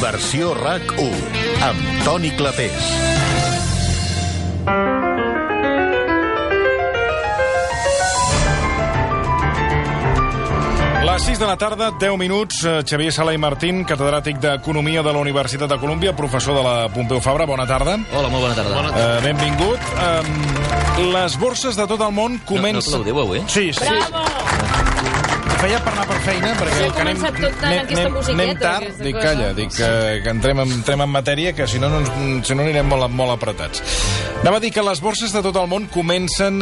Versió RAC1 amb Toni Clapés. Les 6 de la tarda, 10 minuts. Xavier Sala i Martín, catedràtic d'Economia de la Universitat de Colúmbia, professor de la Pompeu Fabra. Bona tarda. Hola, molt bona tarda. Benvingut. Les borses de tot el món comencen... No l'aplaudiu avui? Sí. Bravo! Feia per anar per feina, perquè anem tard. Dic, calla, que entrem en matèria, que si no anirem molt apretats. Anava a dir que les borses de tot el món comencen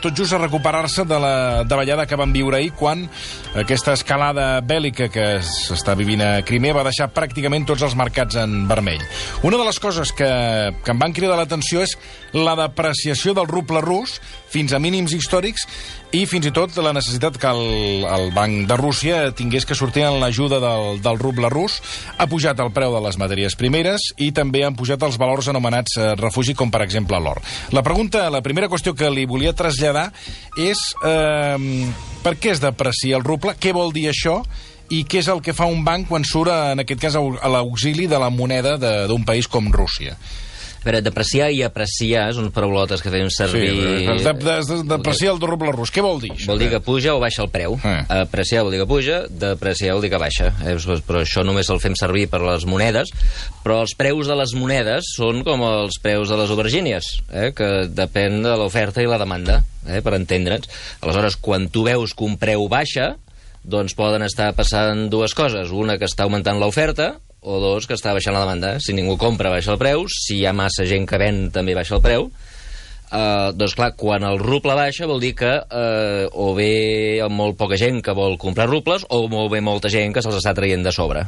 tot just a recuperar-se de la davallada que van viure ahir, quan aquesta escalada bèl·lica que s'està vivint a Crimea va deixar pràcticament tots els mercats en vermell. Una de les coses que em van cridar l'atenció és la depreciació del ruble rus fins a mínims històrics, i fins i tot la necessitat que el Banc de Rússia tingués que sortir en l'ajuda del ruble rus. Ha pujat el preu de les matèries primeres i també han pujat els valors anomenats refugi, com per exemple l'or. La primera qüestió que li volia traslladar és per què es deprecia el ruble, què vol dir això, i què és el que fa un banc quan surt, en aquest cas, a l'auxili de la moneda d'un país com Rússia. A veure, depreciar i apreciar són paraulotes que fem servir... Sí, depreciar el ruble rus, què vol dir? Vol dir que puja o baixa el preu. Apreciar vol dir que puja, depreciar vol dir que baixa. Però això només el fem servir per les monedes, però els preus de les monedes són com els preus de les aubergínies, que depèn de l'oferta i la demanda, per entendre'ns. Aleshores, quan tu veus que un preu baixa, doncs poden estar passant dues coses. Una, que està augmentant l'oferta, o dos, que està baixant la demanda. Si ningú compra, baixa el preu. Si hi ha massa gent que ven, també baixa el preu. Doncs clar, quan el ruble baixa vol dir que o bé hi ha molt poca gent que vol comprar rubles, o molt bé molta gent que se'ls està traient de sobre.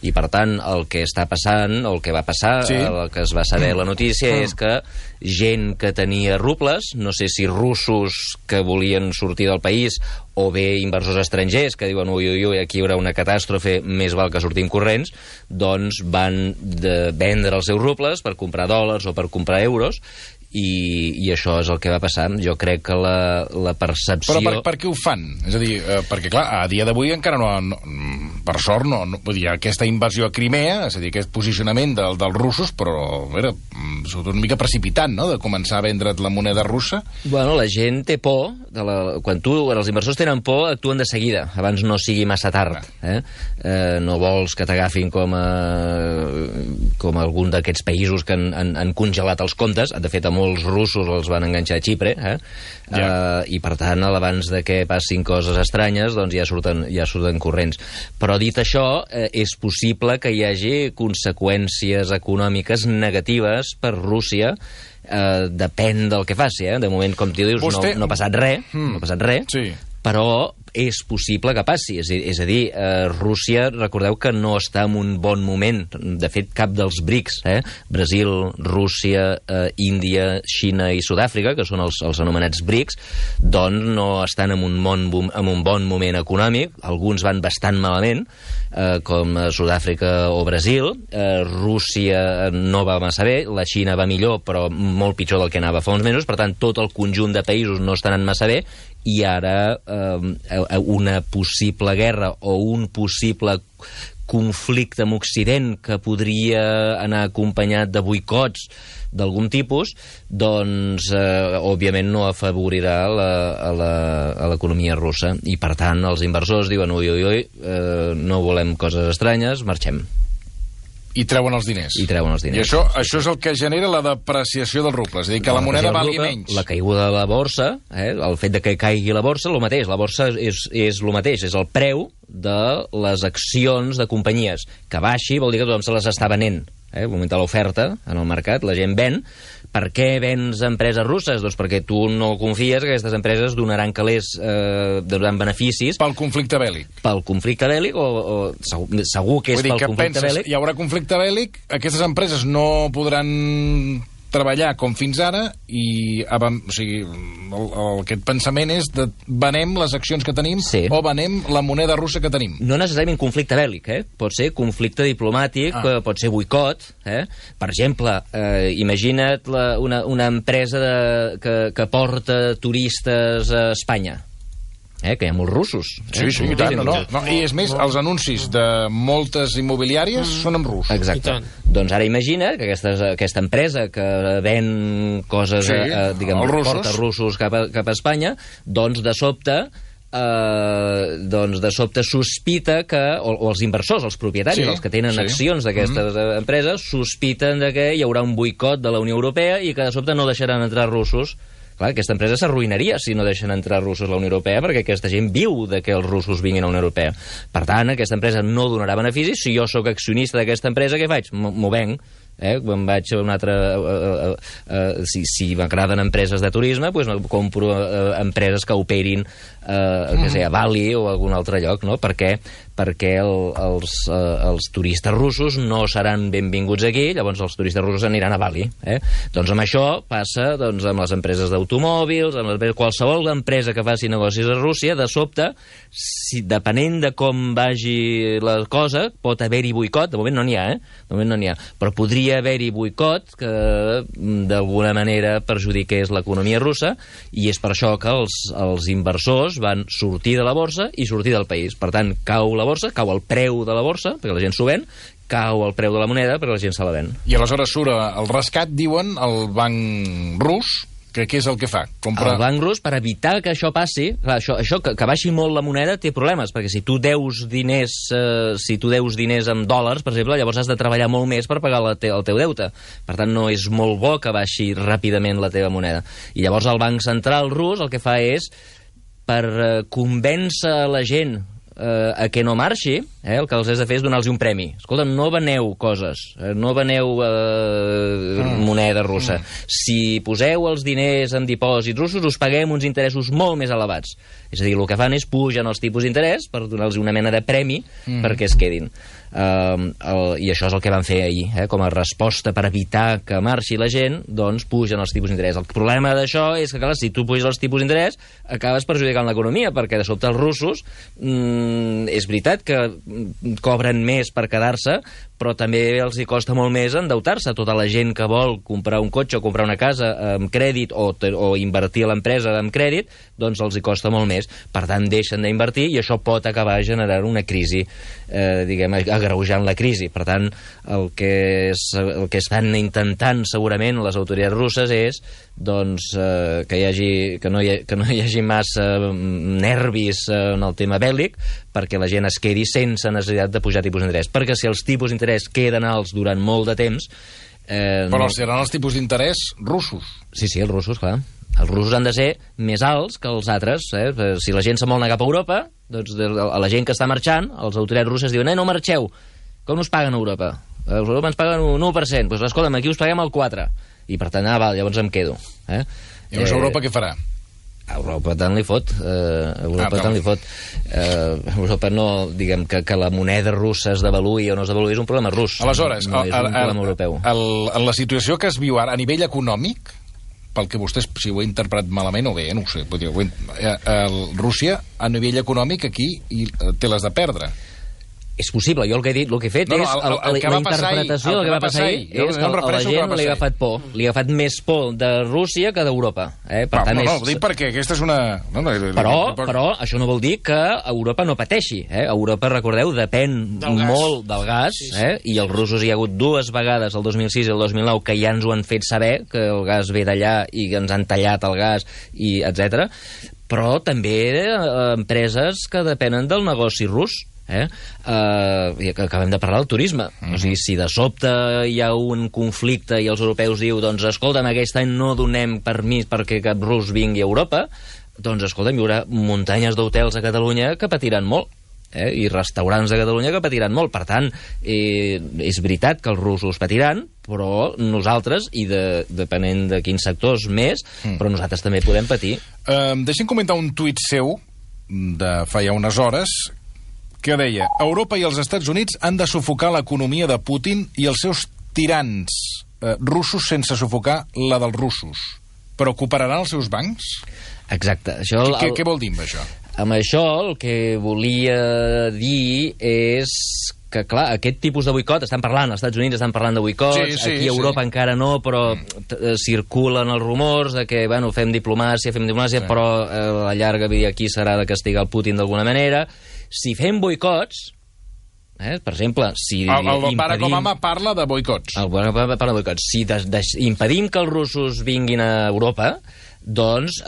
I per tant, el que està passant, o el que va passar, el que es va saber la notícia, és que gent que tenia rubles, no sé si russos que volien sortir del país, o bé inversors estrangers que diuen ui, aquí hi haurà una catàstrofe, més val que sortim corrents, doncs van vendre els seus rubles per comprar dòlars o per comprar euros, i això és el que va passar. Jo crec que la percepció... Però per què ho fan? És a dir, perquè clar, a dia d'avui encara no per sort, vull dir, aquesta invasió a Crimea, és a dir, aquest posicionament dels russos, però era una mica precipitant, no?, de començar a vendre't la moneda russa. Bueno, la gent té por, quan els inversors tenen por, actuen de seguida, abans no sigui massa tard. No vols que t'agafin com algun d'aquests països que han congelat els comptes. De fet, a molts russos els van enganxar a Xipre, i per tant, abans de que passin coses estranyes, doncs ja surten corrents. Però dit això, és possible que hi hagi conseqüències econòmiques negatives per Rússia, depèn del que faci. De moment, com tu dius, no ha passat res, sí, però és possible que passi. És a dir, Rússia, recordeu que no està en un bon moment. De fet, cap dels BRICS, Brasil, Rússia, Índia, Xina i Sud-àfrica, que són els anomenats BRICS, doncs no estan en un bon moment econòmic. Alguns van bastant malament, com Sud-àfrica o Brasil. Rússia no va massa bé, la Xina va millor, però molt pitjor del que anava fa uns mesos. Per tant, tot el conjunt de països no estan anant massa bé, i ara una possible guerra o un possible conflicte amb Occident que podria anar acompanyat de boicots d'algun tipus, doncs òbviament no afavorirà a l'economia russa, i per tant els inversors diuen ui, no volem coses estranyes, marxem. I treuen els diners. I això és el que genera la depreciació del ruble, és a dir, que la moneda valgui menys. La caiguda de la borsa, el fet de que caigui la borsa, el mateix. La borsa és el mateix, és el preu de les accions de companyies. Que baixi vol dir que tothom se les està venent. Augmenta l'oferta en el mercat, la gent ven. Per què vens empreses russes? Doncs perquè tu no confies que aquestes empreses donaran calés, donaran beneficis... Pel conflicte bèl·lic. Pel conflicte bèl·lic, o segur que és pel conflicte bèl·lic. Hi haurà conflicte bèl·lic, aquestes empreses no podran treballar com fins ara, i aquest pensament és de venem les accions que tenim, o venem la moneda russa que tenim. No necessàriament conflicte bèl·lic, pot ser conflicte diplomàtic, pot ser boicot. Per exemple, imagina't una empresa que porta turistes a Espanya. que hi ha molts russos. Sí, i tant, no? I és més, els anuncis de moltes immobiliàries són en rus. Exacte. Doncs ara imagina que aquesta empresa que ven coses, diguem, porta russos cap a Espanya, doncs de sobte sospita que, o els inversors, els propietaris, els que tenen accions d'aquestes empreses, sospiten que hi haurà un boicot de la Unió Europea i que de sobte no deixaran entrar russos. Clar, aquesta empresa s'arruïnaria si no deixen entrar russos a la Unió Europea, perquè aquesta gent viu de que els russos vinguin a la Unió Europea. Per tant, aquesta empresa no donarà beneficis. Si jo sóc accionista d'aquesta empresa, què faig? M'ho venc. Quan vaig a una altra... si m'agraden empreses de turisme, doncs compro empreses que operin a Bali o a algun altre lloc, no? Perquè els turistes russos no seran benvinguts aquí, llavors els turistes russos aniran a Bali. Doncs amb això passa amb les empreses d'automòbils, amb qualsevol empresa que faci negocis a Rússia, de sobte, depenent de com vagi la cosa, pot haver-hi boicot. De moment no n'hi ha, de moment no n'hi ha, però podria haver-hi boicot que d'alguna manera perjudiqués l'economia russa, i és per això que els inversors van sortir de la borsa i sortir del país. Per tant, cau la borsa, cau el preu de la borsa, perquè la gent s'ho ven, cau el preu de la moneda perquè la gent se la ven. I aleshores surt el rescat, diuen, el banc rus, que què és el que fa? El banc rus, per evitar que això passi, clar, això que baixi molt la moneda té problemes, perquè si tu deus diners en dòlars, per exemple, llavors has de treballar molt més per pagar el teu deute. Per tant, no és molt bo que baixi ràpidament la teva moneda. I llavors el Banc Central rus el que fa és, per convèncer la gent a que no marxi, el que els has de fer és donar-los un premi. Escolta, no veneu coses, no veneu moneda russa. Si poseu els diners en dipòsits russos, us paguem uns interessos molt més elevats. És a dir, el que fan és pugen els tipus d'interès per donar-los una mena de premi perquè es quedin. I això és el que van fer ahir, com a resposta per evitar que marxi la gent, doncs pugen els tipus d'interès. El problema d'això és que, clar, si tu puges els tipus d'interès, acabes perjudicant l'economia, perquè de sobte els russos és veritat que cobren més per quedar-se, però també els hi costa molt més endeutar-se. Tota la gent que vol comprar un cotxe o comprar una casa amb crèdit o invertir a l'empresa amb crèdit, doncs els hi costa molt més. Per tant, deixen d'invertir i això pot acabar generant una crisi, diguem, agreujant la crisi. Per tant, el que estan intentant segurament les autoritats russes és que no hi hagi massa nervis en el tema bèl·lic, perquè la gent es quedi sense necessitat de pujar tipus d'interès. Perquè si els tipus d'interès queden alts durant molt de temps... Però seran els tipus d'interès russos. Sí, els russos, clar. Els russos han de ser més alts que els altres. Si la gent se'n vol anar cap a Europa, doncs a la gent que està marxant, els autoritats russes diuen no marxeu. Com us paguen a Europa? A Europa ens paguen un 1%. Doncs escolta'm, aquí us paguem el 4%. I per tant, llavors em quedo. Llavors Europa què farà? Europa tant li fot. Europa no, diguem, que la moneda russa es devaluï o no es devaluï, és un problema rus. Aleshores, no és un problema europeu. En la situació que es viu ara, a nivell econòmic, pel que vostès, si ho he interpretat malament o bé, no ho sé, Rússia, a nivell econòmic, aquí té les de perdre. És possible, jo el que he fet és la interpretació del que va passar ahir és que a la gent li ha agafat por, li ha agafat més por de Rússia que d'Europa. No, ho dic perquè aquesta és una... Però això no vol dir que Europa no pateixi. Europa, recordeu, depèn molt del gas, i els russos hi ha hagut 2 vegades, el 2006 i el 2009, que ja ens ho han fet saber, que el gas ve d'allà i que ens han tallat el gas, i etc. Però també empreses que depenen del negoci rus. Acabem de parlar del turisme. O sigui, si de sobte hi ha un conflicte i els europeus diu, doncs escolta'm, aquest any no donem permís perquè cap rus vingui a Europa, doncs escolta'm, hi haurà muntanyes d'hotels a Catalunya que patiran molt, i restaurants de Catalunya que patiran molt. Per tant, és veritat que els russos patiran, però nosaltres, i depenent de quins sectors més, però nosaltres també podem patir. Deixem comentar un tuit seu de fa ja unes hores que deia: Europa i els Estats Units han de sufocar l'economia de Putin i els seus tirans russos sense sufocar la dels russos. Però cooperaran els seus bancs? Exacte. Què vol dir amb això? Amb això el que volia dir és que, clar, aquest tipus de boicot, estan parlant, als Estats Units estan parlant de boicots, aquí a Europa encara no, però circulen els rumors de que, bueno, fem diplomàcia, però a la llarga aquí s'harà de castigar el Putin d'alguna manera. Si fem boicots, per exemple, si el Barack Obama parla de boicots. El Barack Obama parla de boicots. Si impedim que els russos vinguin a Europa, doncs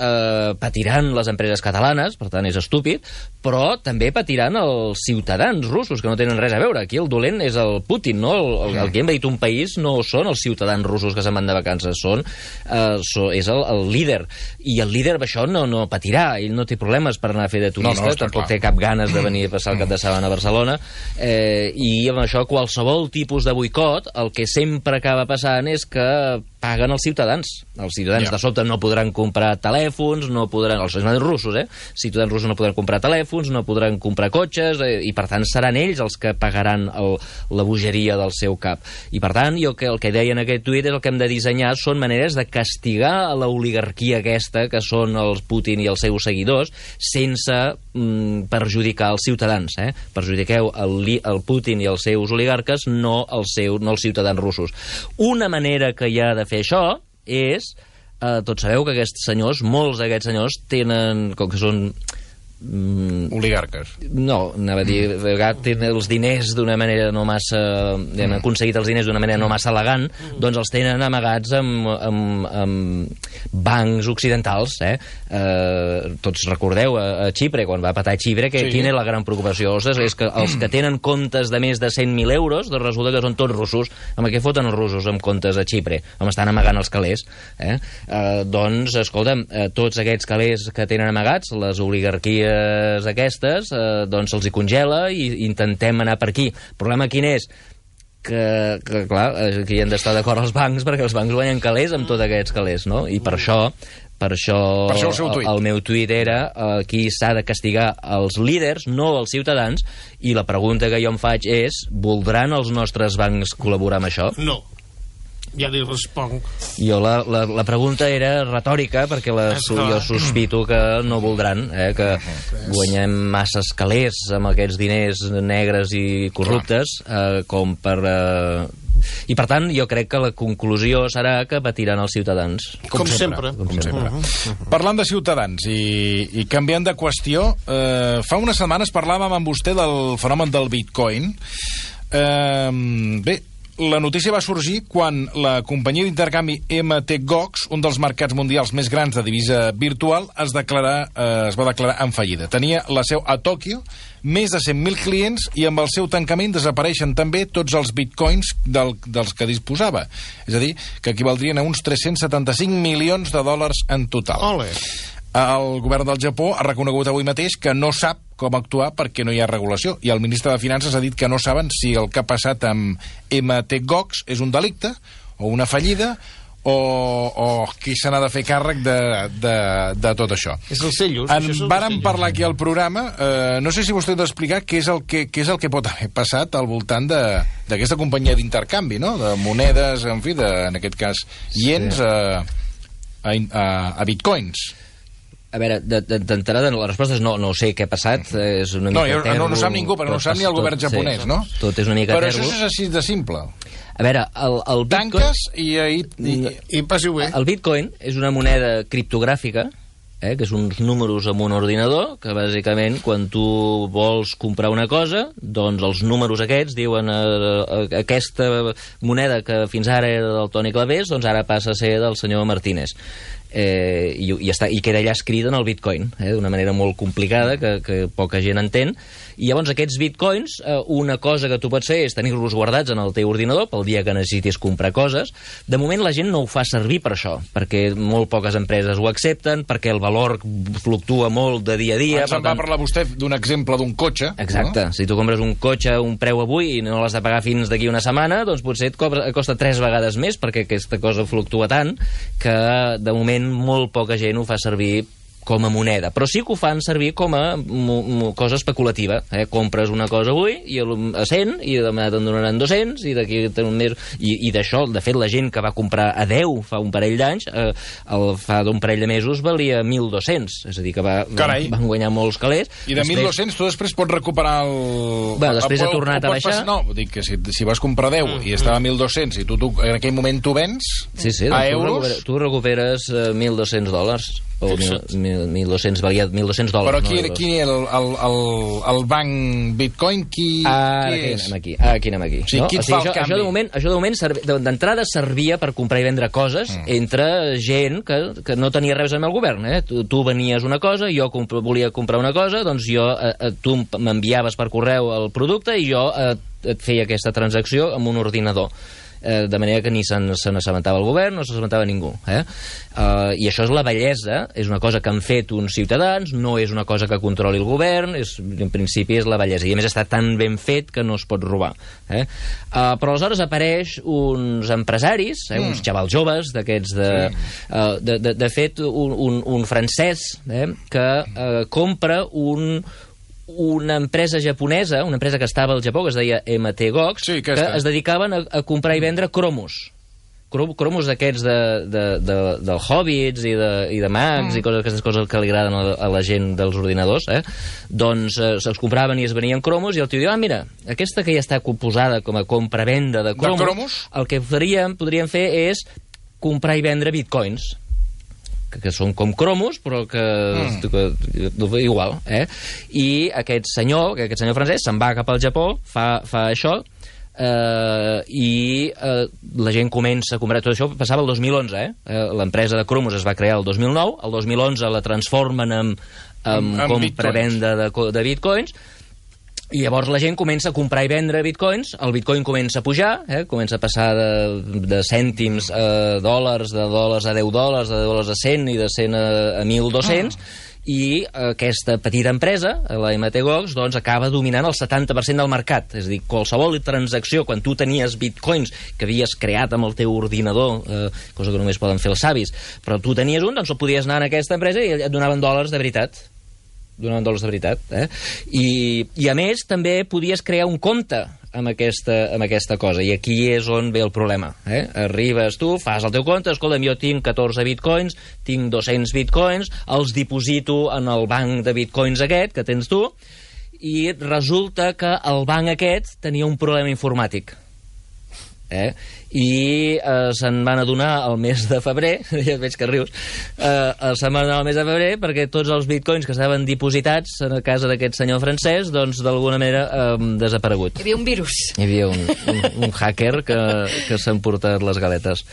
patiran les empreses catalanes, per tant és estúpid, però també patiran els ciutadans russos, que no tenen res a veure. Aquí el dolent és el Putin, no? El que hem dit un país no són els ciutadans russos que se'n van de vacances, és el líder. I el líder això no patirà, ell no té problemes per anar a fer de turista, tampoc té cap ganes de venir a passar el cap de setmana a Barcelona, i amb això qualsevol tipus de boicot, el que sempre acaba passant és que paguen els ciutadans. Els ciutadans de sobte no podran comprar telèfons, no podran... Els ciutadans russos, ciutadans russos no podran comprar telèfons, no podran comprar cotxes, i per tant seran ells els que pagaran la bogeria del seu cap. I per tant, jo el que deia en aquest tuit és el que hem de dissenyar són maneres de castigar a l'oligarquia aquesta, que són els Putin i els seus seguidors, sense perjudicar els ciutadans. Perjudiqueu el Putin i els seus oligarques, no els ciutadans russos. Una manera que hi ha de fer això és... tots sabeu que aquests senyors, molts d'aquests senyors tenen, com que són oligarques. No, anava a dir, de vegades tenen els diners d'una manera no massa... han aconseguit els diners d'una manera no massa elegant, doncs els tenen amagats amb bancs occidentals. Tots recordeu a Xipre, quan va patar a Xipre, que quina és la gran preocupació? És que els que tenen comptes de més de 100.000 euros, doncs resulta que són tots russos. Amb què foten els russos amb comptes a Xipre? Estan amagant els calés. Doncs, escolta'm, tots aquests calés que tenen amagats, les oligarquies aquestes, doncs se'ls hi congela i intentem anar per aquí. El problema quin és? Que clar, aquí han d'estar d'acord els bancs, perquè els bancs guanyen calés amb tots aquests calés, no? I per això el meu tuit era aquí s'ha de castigar els líders, no els ciutadans, i la pregunta que jo em faig és: voldran els nostres bancs col·laborar amb això? No. Ja li responc. Jo la pregunta era retòrica, perquè jo sospito que no voldran, que guanyem masses calés amb aquests diners negres i corruptes, com per... I, per tant, jo crec que la conclusió serà que patiran els ciutadans. Com sempre. Parlant de ciutadans i canviant de qüestió, fa unes setmanes parlàvem amb vostè del fenomen del Bitcoin. Bé, la notícia va sorgir quan la companyia d'intercanvi mt-gox, un dels mercats mundials més grans de divisa virtual, es va declarar en fallida. Tenia la seu a Tòquio, més de 100.000 clients, i amb el seu tancament desapareixen també tots els bitcoins dels que disposava. És a dir, que equivaldrien a uns 375 milions de dòlars en total. Ole. El govern del Japó ha reconegut avui mateix que no sap com actuar perquè no hi ha regulació, i el ministre de Finances ha dit que no saben si el que ha passat amb mt-gox és un delicte o una fallida o qui se n'ha de fer càrrec de tot això. És els cellos. En vàrem parlar aquí al programa, no sé si vostè ha d'explicar què és el que pot haver passat al voltant d'aquesta companyia d'intercanvi, no? De monedes, en fi, en aquest cas, iens a bitcoins. A veure, d'entrada, la resposta és no sé què ha passat, és una mica tèrbol. No sap ningú, perquè no sap ni el govern japonès, no? Tot és una mica tèrbol. Però això és així de simple. A veure, el Bitcoin... Tanques i passi-ho bé. El Bitcoin és una moneda criptogràfica, que són uns números en un ordinador, que bàsicament quan tu vols comprar una cosa, doncs els números aquests diuen aquesta moneda que fins ara era del Toni Clavés, doncs ara passa a ser del senyor Martínez. I queda allà escrit en el Bitcoin, d'una manera molt complicada que poca gent entén. I llavors aquests bitcoins, una cosa que tu pots fer és tenir-los guardats en el teu ordinador pel dia que necessitis comprar coses. De moment la gent no ho fa servir per això, perquè molt poques empreses ho accepten, perquè el valor fluctua molt de dia a dia. Ens en va parlar vostè d'un exemple d'un cotxe. Exacte. No? Si tu compres un cotxe a un preu avui i no l'has de pagar fins d'aquí una setmana, doncs potser et costa 3 vegades més, perquè aquesta cosa fluctua tant que de moment molt poca gent ho fa servir com a moneda, però sí que ho fan servir com a cosa especulativa. Compres una cosa avui a 100 i demà te'n donaran 200 i d'aquí un mes... I d'això, de fet, la gent que va comprar a 10 fa un parell d'anys, fa d'un parell de mesos valia 1.200, és a dir, que van guanyar molts calés. I de 1.200 tu després pots recuperar el... Bueno, després ha tornat a baixar. No, dic que si vas comprar 10 i estava a 1.200 i tu en aquell moment tu vens a euros... Tu recuperes $1.200 o 1.200, valia $1.200. Però qui el banc Bitcoin, qui és? Aquí anem aquí. O sigui, qui et fa el canvi? Això de moment d'entrada servia per comprar i vendre coses entre gent que no tenia res amb el govern. Tu venies una cosa, jo volia comprar una cosa, doncs tu m'enviaves per correu el producte i jo et feia aquesta transacció amb un ordinador. De manera que ni se n'assabentava el govern, no s'assabentava ningú. I això és la bellesa, és una cosa que han fet uns ciutadans, no és una cosa que controli el govern, en principi és la bellesa, i a més està tan ben fet que no es pot robar. Però aleshores apareix uns empresaris, uns xavals joves, d'aquests de fet, un francès que compra una empresa japonesa, una empresa que estava al Japó, que es deia MTGOX, que es dedicaven a comprar i vendre cromos. Cromos d'aquests del Hobbits i de mags i aquestes coses que li agraden a la gent dels ordinadors, doncs se'ls compraven i es venien cromos i el tio diu, mira, aquesta que ja està composada com a compra-venda de cromos, el que podríem fer és comprar i vendre bitcoins, que són com cromos, però que igual, I aquest senyor francès se'n va cap al Japó, fa això, i la gent comença a comprar. Tot això passava el 2011, l'empresa de cromos es va crear el 2009, el 2011 la transformen en compra-venda de bitcoins, i llavors la gent comença a comprar i vendre bitcoins, el bitcoin comença a pujar, comença a passar de cèntims a dòlars, de dòlars a $10, de dòlars a 100 i de 100 a 1.200, i aquesta petita empresa, la MTGOX, doncs acaba dominant el 70% del mercat. És a dir, qualsevol transacció, quan tu tenies bitcoins que havies creat amb el teu ordinador, cosa que només poden fer els savis, però tu tenies un, doncs el podies anar en aquesta empresa i et donaven dòlars de veritat. I a més també podies crear un compte amb aquesta cosa, i aquí és on ve el problema. Arribes tu, fas el teu compte, escolta'm, jo tinc 14 bitcoins, tinc 200 bitcoins, els diposito en el banc de bitcoins aquest que tens tu, i resulta que el banc aquest tenia un problema informàtic. I se'n van adonar el mes de febrer, ja veig que rius, se'n van adonar el mes de febrer perquè tots els bitcoins que estaven dipositats a casa d'aquest senyor francès, doncs d'alguna manera han desaparegut. Hi havia un virus. Hi havia un hacker que s'ha emportat les galetes.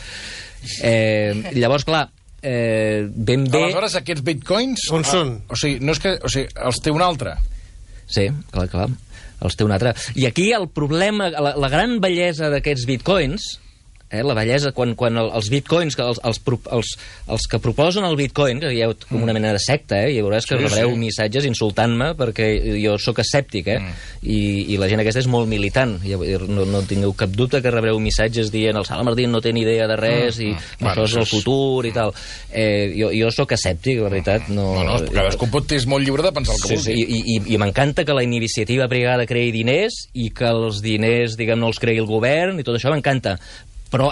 Llavors, clar, ben bé... Aleshores, aquests bitcoins... On són? O sigui, els té un altre. Sí, clar. Els té un altre. I aquí el problema, la gran bellesa d'aquests bitcoins, la bellesa quan els bitcoins, els que proposen el bitcoin, que hi ha com una mena de secta, i veuràs que rebreu missatges insultant-me perquè jo sóc escèptic, i la gent aquesta és molt militant, no tingueu cap dubte que rebreu missatges dient el Sala Martín no té ni idea de res i això és el futur i tal. Jo sóc escèptic, la veritat. Cadascú és molt lliure de pensar el que vulgui. I m'encanta que la iniciativa privada creï diners i que els diners, diguem, no els creï el govern i tot això m'encanta. Però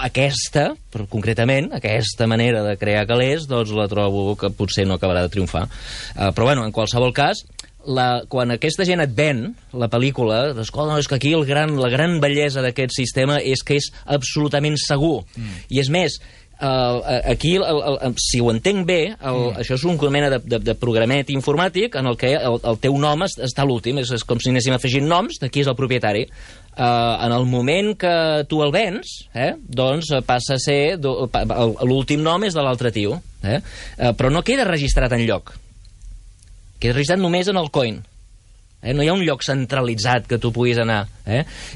concretament, aquesta manera de crear calés, doncs la trobo que potser no acabarà de triomfar. Però bueno, en qualsevol cas, quan aquesta gent et ven la pel·lícula, escolta, és que aquí la gran bellesa d'aquest sistema és que és absolutament segur. I és més, aquí, si ho entenc bé, això és una mena de programet informàtic en el que el teu nom està a l'últim, és com si anéssim afegint noms de qui és el propietari. En el moment que tu el vens, doncs passa a ser l'últim nom és de l'altre tio, però no queda registrat enlloc, queda registrat només en el coin. No hi ha un lloc centralitzat que tu puguis anar.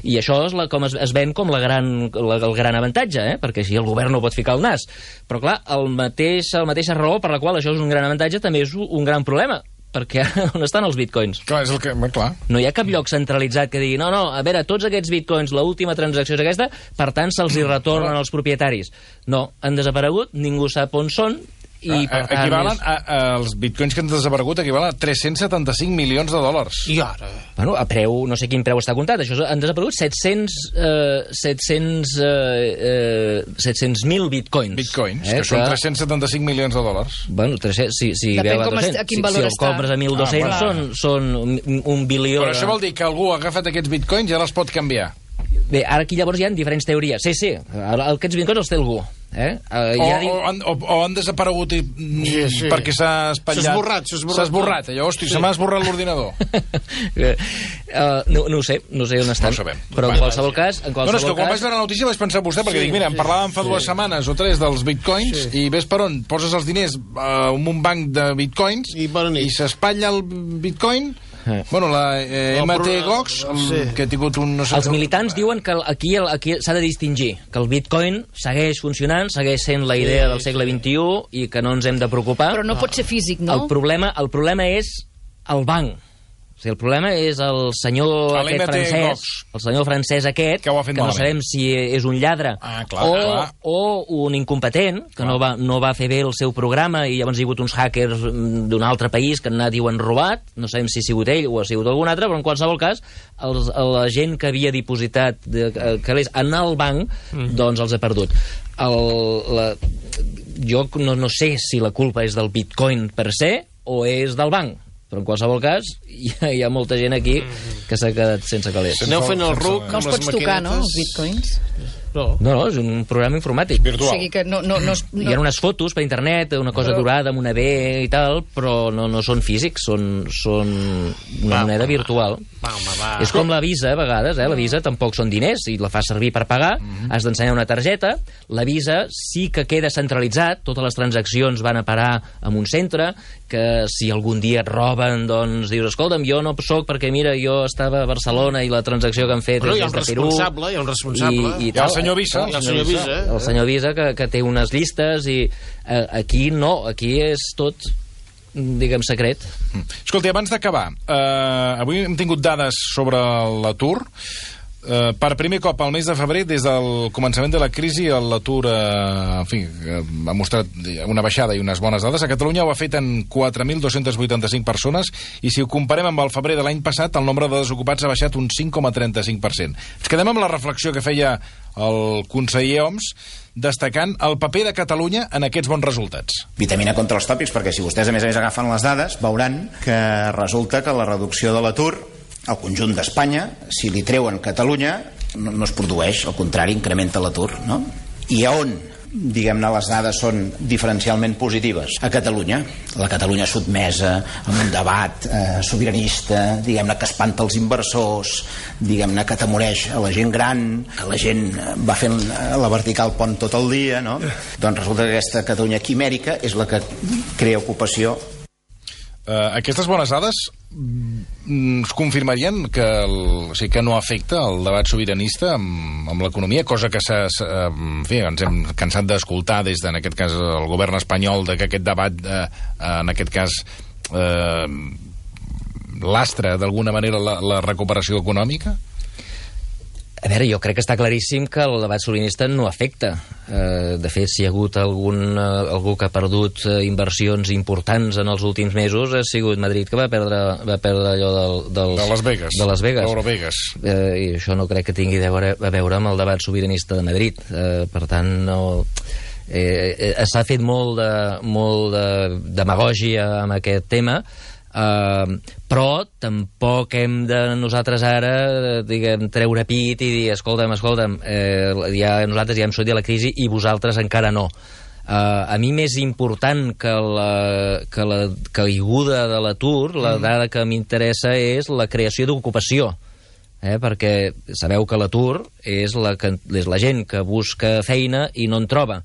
I això és com es ven com el gran avantatge, perquè així el govern no pot ficar el nas. Però clar, la mateixa raó per la qual això és un gran avantatge també és un gran problema, perquè on estan els bitcoins? Clar, és el que... Clar. No hi ha cap lloc centralitzat que digui no, a veure, tots aquests bitcoins, l'última transacció és aquesta, per tant se'ls hi retornen als propietaris. No, han desaparegut, ningú sap on són, I per tant, els bitcoins que han desaparegut equivalen a 375 milions de dòlars. I ara? Bueno, a preu, no sé quin preu està comptat. Això han desaparegut 700.000 bitcoins. Bitcoins, que són 375 milions de dòlars. Bueno, 300, si depèn a quin valor si el compres a 1.200 són 1 bilió... Però això vol dir que algú ha agafat aquests bitcoins i ara els pot canviar. Bé, ara aquí llavors hi ha diferents teories. Sí, aquests bitcoins els té algú. O han desaparegut perquè s'ha espatllat. S'ha esborrat. Llavors, se m'ha esborrat l'ordinador. No ho sé on estan. No ho sabem. Però en qualsevol cas... No, és que quan vaig veure la notícia vaig pensar vostè, perquè dic, mira, en parlàvem fa 2 setmanes o 3 dels bitcoins, i ves per on poses els diners en un banc de bitcoins i s'espatlla el bitcoin. Bueno, la MT Gox, que ha tingut un... Els militants diuen que aquí s'ha de distingir, que el bitcoin segueix funcionant, segueix sent la idea del segle XXI i que no ens hem de preocupar. Però no pot ser físic, no? El problema és el banc. O sigui, el problema és el senyor aquest francès, el senyor francès aquest, que no sabem si és un lladre o un incompetent, que no va fer bé el seu programa i llavors hi ha hagut uns hackers d'un altre país que han anat i ho han robat, no sabem si ha sigut ell o ha sigut algun altre, però en qualsevol cas la gent que havia dipositat calés en el banc, doncs els ha perdut. Jo no sé si la culpa és del bitcoin per se o és del banc, però en qualsevol cas hi ha molta gent aquí que s'ha quedat sense calés. Aneu fent el ruc no els pots tocar, no, els bitcoins? No, és un programa informàtic virtual. O sigui que no... Hi ha unes fotos per internet, una cosa dorada amb una B i tal, però no són físics, són una moneda virtual. És com la Visa, a vegades, la Visa tampoc són diners, i la fas servir per pagar, has d'ensenyar una targeta, la Visa sí que queda centralitzat, totes les transaccions van a parar en un centre, que si algun dia et roben, doncs dius, escolta'm, jo no soc perquè, mira, jo estava a Barcelona i la transacció que han fet és des de Perú. Hi ha un responsable. I el senyor Visa. El senyor Visa, que té unes llistes, i aquí no, aquí és tot, diguem, secret. Escolti, abans d'acabar, avui hem tingut dades sobre l'atur. Per primer cop al mes de febrer, des del començament de la crisi, l'atur ha mostrat una baixada i unes bones dades. A Catalunya ho ha fet en 4.285 persones i si ho comparem amb el febrer de l'any passat, el nombre de desocupats ha baixat un 5,35%. Ens quedem amb la reflexió que feia el conseller Homs, destacant el paper de Catalunya en aquests bons resultats. Vitamina contra els tòpics, perquè si vostès a més agafen les dades, veuran que resulta que la reducció de l'atur al conjunt d'Espanya, si li treuen Catalunya, no es produeix, al contrari, incrementa l'atur, no? I a on, diguem-ne, les dades són diferencialment positives? A Catalunya. La Catalunya sotmesa a un debat sobiranista, diguem-ne, que espanta els inversors, diguem-ne, que atemoreix a la gent gran, que la gent va fent la vertical pont tot el dia, no? Doncs resulta que aquesta Catalunya quimèrica és la que crea ocupació. Aquestes bones dades ens confirmarien que no afecta el debat sobiranista amb l'economia, cosa que ens hem cansat d'escoltar des de, en aquest cas, el govern espanyol, de que aquest debat, en aquest cas, lastra d'alguna manera la recuperació econòmica? A veure, jo crec que està claríssim que el debat sobiranista no afecta. De fet, si hi ha hagut algú que ha perdut inversions importants en els últims mesos, ha sigut Madrid, que va perdre allò de Las Vegas. Eurovegas. I això no crec que tingui a veure amb el debat sobiranista de Madrid. Per tant, no... s'ha fet molt de demagògia amb aquest tema, però tampoc hem de nosaltres ara, diguem, treure pit i dir, escolta'm, nosaltres ja hem sortit de la crisi i vosaltres encara no. A mi més important que la caiguda de l'atur, la dada que m'interessa és la creació d'ocupació, perquè sabeu que l'atur és la gent que busca feina i no en troba,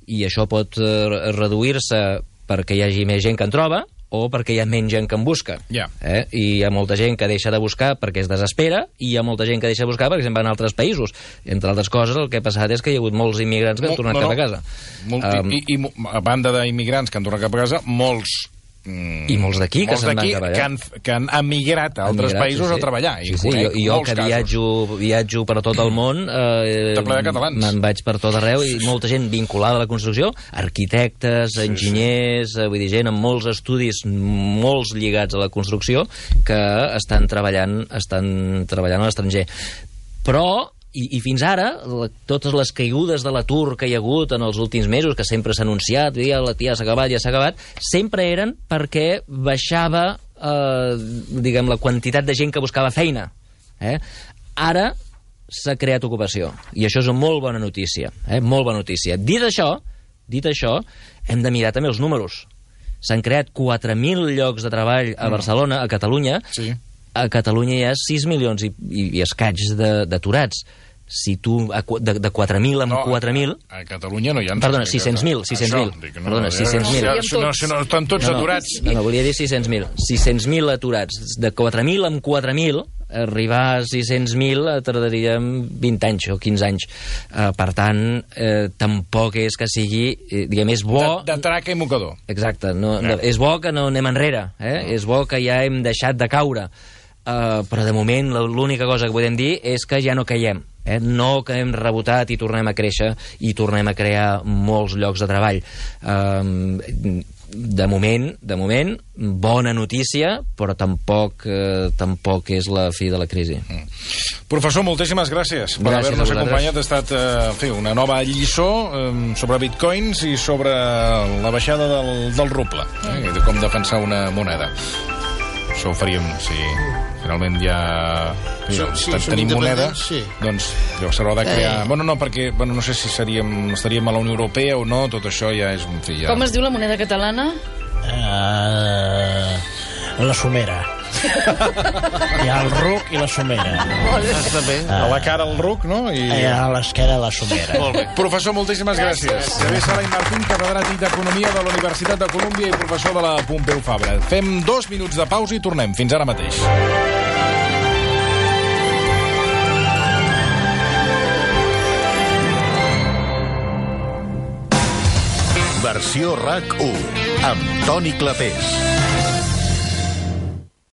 i això pot reduir-se perquè hi hagi més gent que en troba o perquè hi ha menys gent que en busca. I hi ha molta gent que deixa de buscar perquè es desespera, i hi ha molta gent que deixa de buscar perquè se'n van a altres països. Entre altres coses, el que ha passat és que hi ha hagut molts immigrants que han tornat cap a casa. I a banda d'immigrants que han tornat cap a casa, molts I molts d'aquí que se'n van treballar. Que han emigrat a altres països a treballar. Sí, jo que viatjo per tot el món, me'n vaig per tot arreu, i molta gent vinculada a la construcció, arquitectes, enginyers, vull dir, gent amb molts estudis, molts lligats a la construcció, que estan treballant a l'estranger. Però i fins ara, totes les caigudes de l'atur que hi ha hagut en els últims mesos, que sempre s'ha anunciat, ja s'ha acabat, sempre eren perquè baixava, diguem, la quantitat de gent que buscava feina. Ara s'ha creat ocupació, i això és una molt bona notícia. Molt bona notícia. Dit això, hem de mirar també els números. S'han creat 4.000 llocs de treball a Barcelona, a Catalunya. Sí. A Catalunya hi ha 6 milions i escaig d'aturats. Si tu, de 4.000 amb 4.000... A Catalunya no hi ha... Perdona, 600.000. Perdona, 600.000. No, estan tots aturats. No, volia dir 600.000. 600.000 aturats. De 4.000 amb 4.000, arribar a 600.000 tardaríem 20 anys o 15 anys. Per tant, tampoc és que sigui... Diguem, és bo... De traca i mocador. Exacte. És bo que no anem enrere. És bo que ja hem deixat de caure. Però de moment l'única cosa que podem dir és que ja no caiem. No que hem rebotat i tornem a créixer i tornem a crear molts llocs de treball. De moment, bona notícia, però tampoc és la fi de la crisi. Professor, moltíssimes gràcies per haver-nos acompanyat. Ha estat una nova lliçó sobre bitcoins i sobre la baixada del ruble, de com defensar una moneda. Això ho faríem si finalment ja tenim moneda, doncs s'haurà de crear... No, perquè no sé si estaríem a la Unió Europea o no, tot això ja és... Com es diu la moneda catalana? La somera. Hi ha el ruc i la somera. Està bé. A la cara el ruc, no? A l'esquerra la somera. Molt bé. Professor, moltíssimes gràcies. Xavier Sala i Martín, catedràtic d'Economia de la Universitat de Colúmbia i professor de la Pompeu Fabra. Fem 2 minuts de pausa i tornem. Fins ara mateix. Versió RAC 1 amb Toni Clapés.